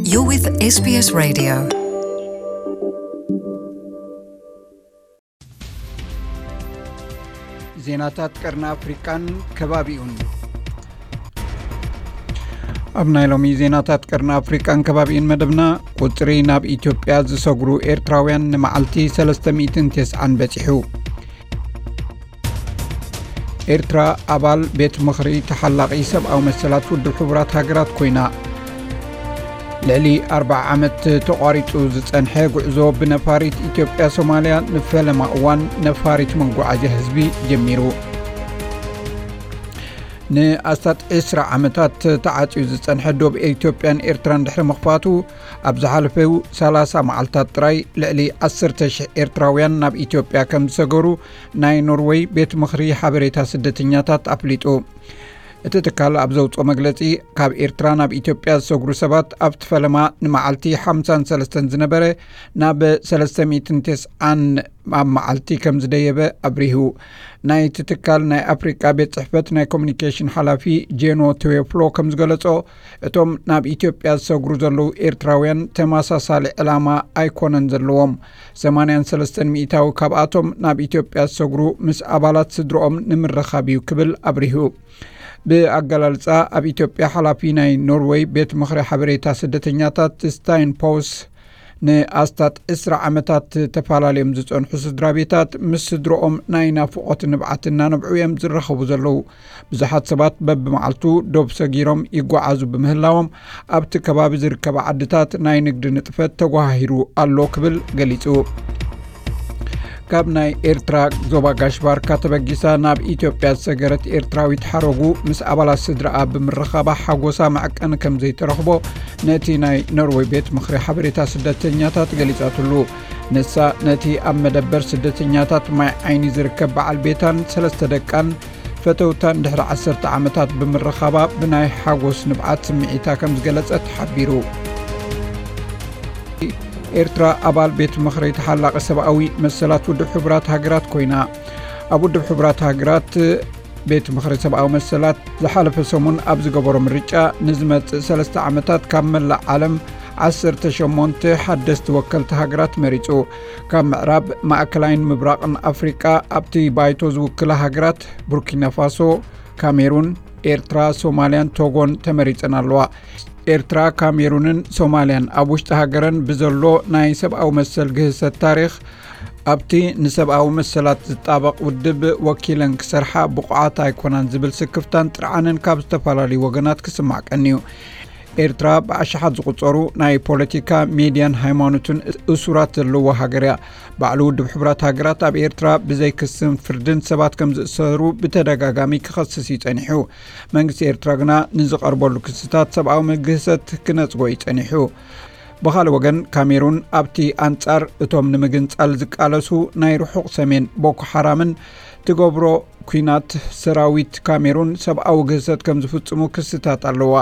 You're with S B S Radio. ዜናታት ቀርኒ ኣፍሪቃን ከባቢኡን። ኣብ ናይ ሎሚ ዜናታት ቀርኒ ኣፍሪቃን ከባቢኡን መደብና፣ ቁጽሪ ናብ ኢትዮጵያ ዝሰግሩ ኤርትራውያን ንመዓልቲ ሰለስተ ሚእትን ተስዓን በጺሑ። ኤርትራ ኣባል ቤት ምኽሪ ተሓላቒ ሰብኣዊ መሰላት ውድብ ሕቡራት ሃገራት ኮይና። ልዕሊ ኣርብዓ ዓመት ተቋሪጹ ዝጸንሐ ጉዕዞ ብነፋሪት ኢትዮጵያ ሶማልያ ንፈለማ እዋን ነፋሪት መጓዓዝያ ህዝቢ ጀሚሩ። ንኣስታት ዕስራ ዓመታት ተዓጽዩ ዝጸንሐ ዶብ ኢትዮጵያን ኤርትራን ድሕሪ ምኽፋቱ፣ ኣብ ዝሓለፈው ሰላሳ መዓልታት ጥራይ ልዕሊ ዓሰርተ ሽሕ ኤርትራውያን ናብ ኢትዮጵያ ከም ዝሰገሩ ናይ ኖርወይ ቤት ምኽሪ ሓበሬታ ስደተኛታት ኣፍሊጡ። እቲ ትካል ኣብ ዘውጽኦ መግለጺ፣ ካብ ኤርትራ ናብ ኢትዮጵያ ዝሰግሩ ሰባት ኣብቲ ፈለማ ንመዓልቲ ሓምሳን ሰለስተን ዝነበረ ናብ ሰለስተ ሚእትን ተስዓን ኣብ መዓልቲ ከም ዝደየበ ኣብሪሁ። ናይቲ ትካል ናይ ኣፍሪቃ ቤት ጽሕፈት ናይ ኮሙኒኬሽን ሓላፊ ጄኖ ትዌፍሎ ከም ዝገለጾ፣ እቶም ናብ ኢትዮጵያ ዝሰግሩ ዘለዉ ኤርትራውያን ተመሳሳሊ ዕላማ ኣይኮነን ዘለዎም። ሰማንያን ሰለስተን ሚእታዊ ካብኣቶም ናብ ኢትዮጵያ ዝሰግሩ ምስ ኣባላት ስድርኦም ንምርኻብ እዩ ክብል ኣብሪሁ። ብኣገላልጻ ኣብ ኢትዮጵያ ሓላፊ ናይ ኖርወይ ቤት ምኽሪ ሓበሬታ ስደተኛታት ስታይን ፖውስ፣ ንኣስታት ዕስራ ዓመታት ተፈላለዮም ዝጸንሑ ስድራ ቤታት ምስ ስድርኦም ናይ ናፍቖት ንብዓት እናነብዑ እዮም ዝራኸቡ ዘለዉ። ብዙሓት ሰባት በብመዓልቱ ዶብ ሰጊሮም ይጓዓዙ ብምህላዎም፣ ኣብቲ ከባቢ ዝርከባ ዓድታት ናይ ንግዲ ንጥፈት ተጓሃሂሩ ኣሎ ክብል ገሊጹ። ካብ ናይ ኤርትራ ዞባ ጋሽ ባርካ ተበጊሳ ናብ ኢትዮጵያ ዝሰገረት ኤርትራዊት ሓረጉ ምስ ኣባላት ስድራኣ ብምርኻባ ሓጎሳ መዐቀኒ ከም ዘይተረኽቦ ነቲ ናይ ኖርወይ ቤት ምኽሪ ሓበሬታ ስደተኛታት ገሊጻትሉ። ንሳ ነቲ ኣብ መደበር ስደተኛታት ማይ ዓይኒ ዝርከብ በዓል ቤታን ሰለስተ ደቃን ፈተውታን ድሕሪ ዓሰርተ ዓመታት ብምርኻባ ብናይ ሓጎስ ንብዓት ስምዒታ ከም ዝገለጸት ሓቢሩ። ኤርትራ ኣባል ቤት ምኽሪ ተሓላቒ ሰብኣዊ መሰላት ውድብ ሕቡራት ሃገራት ኮይና። ኣብ ውድብ ሕቡራት ሃገራት ቤት ምኽሪ ሰብኣዊ መሰላት ዝሓለፈ ሰሙን ኣብ ዝገበሮ ምርጫ፣ ንዝመጽእ ሰለስተ ዓመታት ካብ መላእ ዓለም ዓሰርተ ሸሞንተ ሓደስቲ ወከልቲ ሃገራት መሪጹ። ካብ ምዕራብ፣ ማእከላይን ምብራቕን ኣፍሪቃ ኣብቲ ባይቶ ዝውክላ ሃገራት ቡርኪና ፋሶ፣ ካሜሩን፣ ኤርትራ፣ ሶማልያን ቶጎን ተመሪጸን ኣለዋ። ኤርትራ፣ ካሜሩንን ሶማልያን ኣብ ውሽጢ ሃገረን ብዘሎ ናይ ሰብኣዊ መሰል ግህሰት ታሪኽ፣ ኣብቲ ንሰብኣዊ መሰላት ዝጣበቕ ውድብ ወኪለን ክሰርሓ ብቑዓት ኣይኮናን ዝብል ስክፍታን ጥርዓንን ካብ ዝተፈላለዩ ወገናት ክስማዕ ቀንዩ። ኤርትራ ብኣሽሓት ዝቑጸሩ ናይ ፖለቲካ፣ ሜድያን ሃይማኖትን እሱራት ዘለዋ ሃገር እያ። ባዕሉ ውድብ ሕቡራት ሃገራት ኣብ ኤርትራ ብዘይ ክስን ፍርድን ሰባት ከም ዝእሰሩ ብተደጋጋሚ ክኸስስ እዩ ጸኒሑ። መንግስቲ ኤርትራ ግና ንዝቐርበሉ ክስታት ሰብኣዊ መግህሰት ክነጽጎ እዩ ጸኒሑ። ብኻልእ ወገን፣ ካሜሩን ኣብቲ ኣንጻር እቶም ንምግንጻል ዝቃለሱ ናይ ርሑቕ ሰሜን ቦኮ ሓራምን ትገብሮ ኲናት፣ ሰራዊት ካሜሩን ሰብኣዊ ግህሰት ከም ዝፍጽሙ ክስታት ኣለዋ።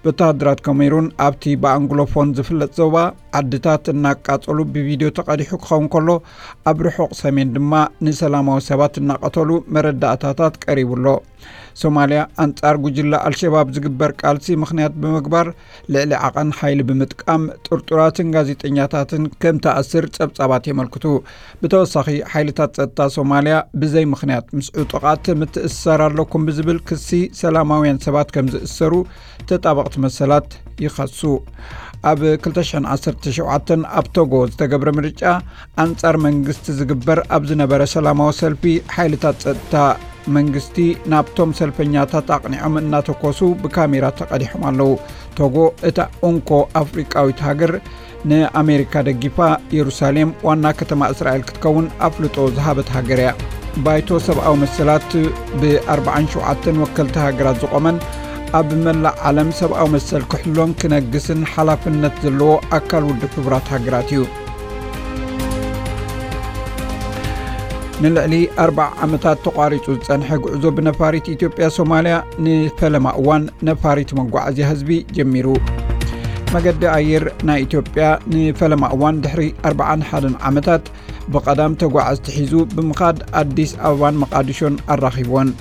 ወተሃደራት ካሜሩን ኣብቲ ብኣንግሎፎን ዝፍለጥ ዞባ ዓድታት እናቃጸሉ ብቪድዮ ተቐዲሑ ክኸውን ከሎ፣ ኣብ ርሑቕ ሰሜን ድማ ንሰላማዊ ሰባት እናቐተሉ መረዳእታታት ቀሪቡ ኣሎ። ሶማልያ ኣንጻር ጉጅለ ኣልሸባብ ዝግበር ቃልሲ ምኽንያት ብምግባር፣ ልዕሊ ዓቐን ሓይሊ ብምጥቃም ጥርጡራትን ጋዜጠኛታትን ከም ትኣስር ጸብጻባት የመልክቱ። ብተወሳኺ፣ ሓይልታት ጸጥታ ሶማልያ ብዘይ ምኽንያት ምስ ዕጡቓት ምትእስሳር ኣለኩም ብዝብል ክሲ ሰላማውያን ሰባት ከም ዝእሰሩ ተጣበቕቲ መሰላት ይኸሱ። ኣብ ክልተ ሽሕን ዓሰርተ ሸውዓተን ኣብ ቶጎ ዝተገብረ ምርጫ፣ ኣንጻር መንግስቲ ዝግበር ኣብ ዝነበረ ሰላማዊ ሰልፊ፣ ሓይልታት ጸጥታ መንግስቲ ናብቶም ሰልፈኛታት ኣቕኒዖም እናተኮሱ ብካሜራ ተቐዲሖም ኣለዉ። ቶጎ፣ እታ እንኮ ኣፍሪቃዊት ሃገር፣ ንኣሜሪካ ደጊፋ የሩሳሌም ዋና ከተማ እስራኤል ክትከውን ኣፍልጦ ዝሃበት ሃገር እያ። ባይቶ ሰብኣዊ መሰላት ብኣርባዓን ሸውዓተን ወከልቲ ሃገራት ዝቖመን ኣብ መላእ ዓለም ሰብኣዊ መሰል ክሕሎን ክነግስን ሓላፍነት ዘለዎ ኣካል ውድብ ሕቡራት ሃገራት እዩ። ንልዕሊ ኣርብዓ ዓመታት ተቋሪጹ ዝጸንሐ ጉዕዞ ብነፋሪት ኢትዮጵያ ሶማልያ ንፈለማ እዋን ነፋሪት መጓዓዝያ ህዝቢ ጀሚሩ። መገዲ ኣየር ናይ ኢትዮጵያ ንፈለማ እዋን ድሕሪ ኣርብዓን ሓደን ዓመታት ብቐዳም ተጓዓዝቲ ሒዙ ብምኻድ ኣዲስ ኣበባን መቓዲሾን ኣራኺብወን።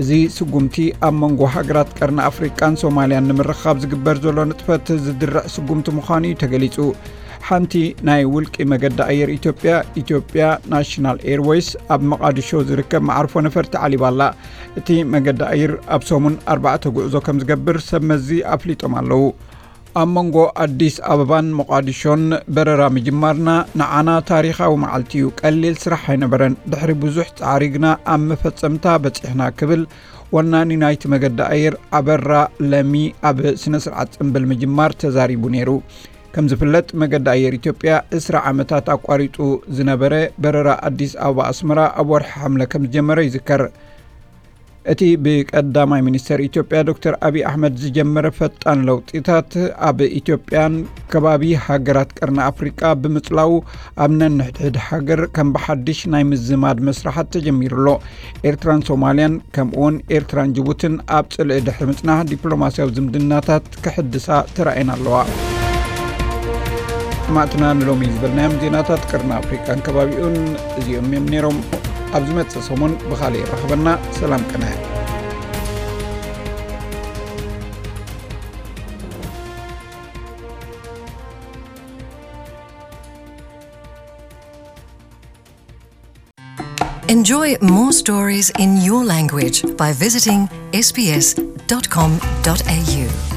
እዚ ስጉምቲ ኣብ መንጎ ሃገራት ቀርኒ ኣፍሪቃን ሶማልያን ንምርኻብ ዝግበር ዘሎ ንጥፈት ዝድርዕ ስጉምቲ ምዃኑ እዩ ተገሊጹ። ሓንቲ ናይ ውልቂ መገዲ ኣየር ኢትዮጵያ፣ ኢትዮጵያ ናሽናል ኤርዌይስ፣ ኣብ መቓድሾ ዝርከብ መዓርፎ ነፈርቲ ዓሊባ ኣላ። እቲ መገዲ ኣየር ኣብ ሰሙን ኣርባዕተ ጉዕዞ ከም ዝገብር ሰብ መዚ ኣፍሊጦም ኣለዉ። ኣብ መንጎ ኣዲስ ኣበባን ሞቓዲሾን በረራ ምጅማርና ንዓና ታሪኻዊ መዓልቲ እዩ። ቀሊል ስራሕ ኣይነበረን። ድሕሪ ብዙሕ ጻዕሪ ግና ኣብ መፈጸምታ በጺሕና ክብል ወናኒ ናይቲ መገዲ ኣየር ኣበራ ለሚ ኣብ ስነ ስርዓት ጽምብል ምጅማር ተዛሪቡ ነይሩ። ከም ዝፍለጥ መገዲ ኣየር ኢትዮጵያ ዕስራ ዓመታት ኣቋሪጡ ዝነበረ በረራ ኣዲስ ኣበባ ኣስመራ ኣብ ወርሒ ሓምለ ከም ዝጀመረ ይዝከር። እቲ ብቀዳማይ ሚኒስተር ኢትዮጵያ ዶክተር ኣብይ ኣሕመድ ዝጀመረ ፈጣን ለውጢታት ኣብ ኢትዮጵያን ከባቢ ሃገራት ቀርኒ ኣፍሪቃ ብምጽላው ኣብ ነንሕድሕድ ሃገር ከም ብሓድሽ ናይ ምዝማድ መስራሓት ተጀሚሩ ኣሎ። ኤርትራን ሶማልያን ከምኡውን ኤርትራን ጅቡትን ኣብ ጽልኢ ድሕሪ ምጽናሕ ዲፕሎማስያዊ ዝምድናታት ክሕድሳ ተራእየን ኣለዋ። ሰማዕትና ንሎሚ ዝበልናዮም ዜናታት ቀርኒ ኣፍሪቃን ከባቢኡን እዚኦም እዮም ነይሮም። ኣብ ዝመጽእ ሰሙን ብኻልእ የራኽበና። ሰላም ቅነ። Enjoy more stories in your language by visiting S B S dot com dot A U.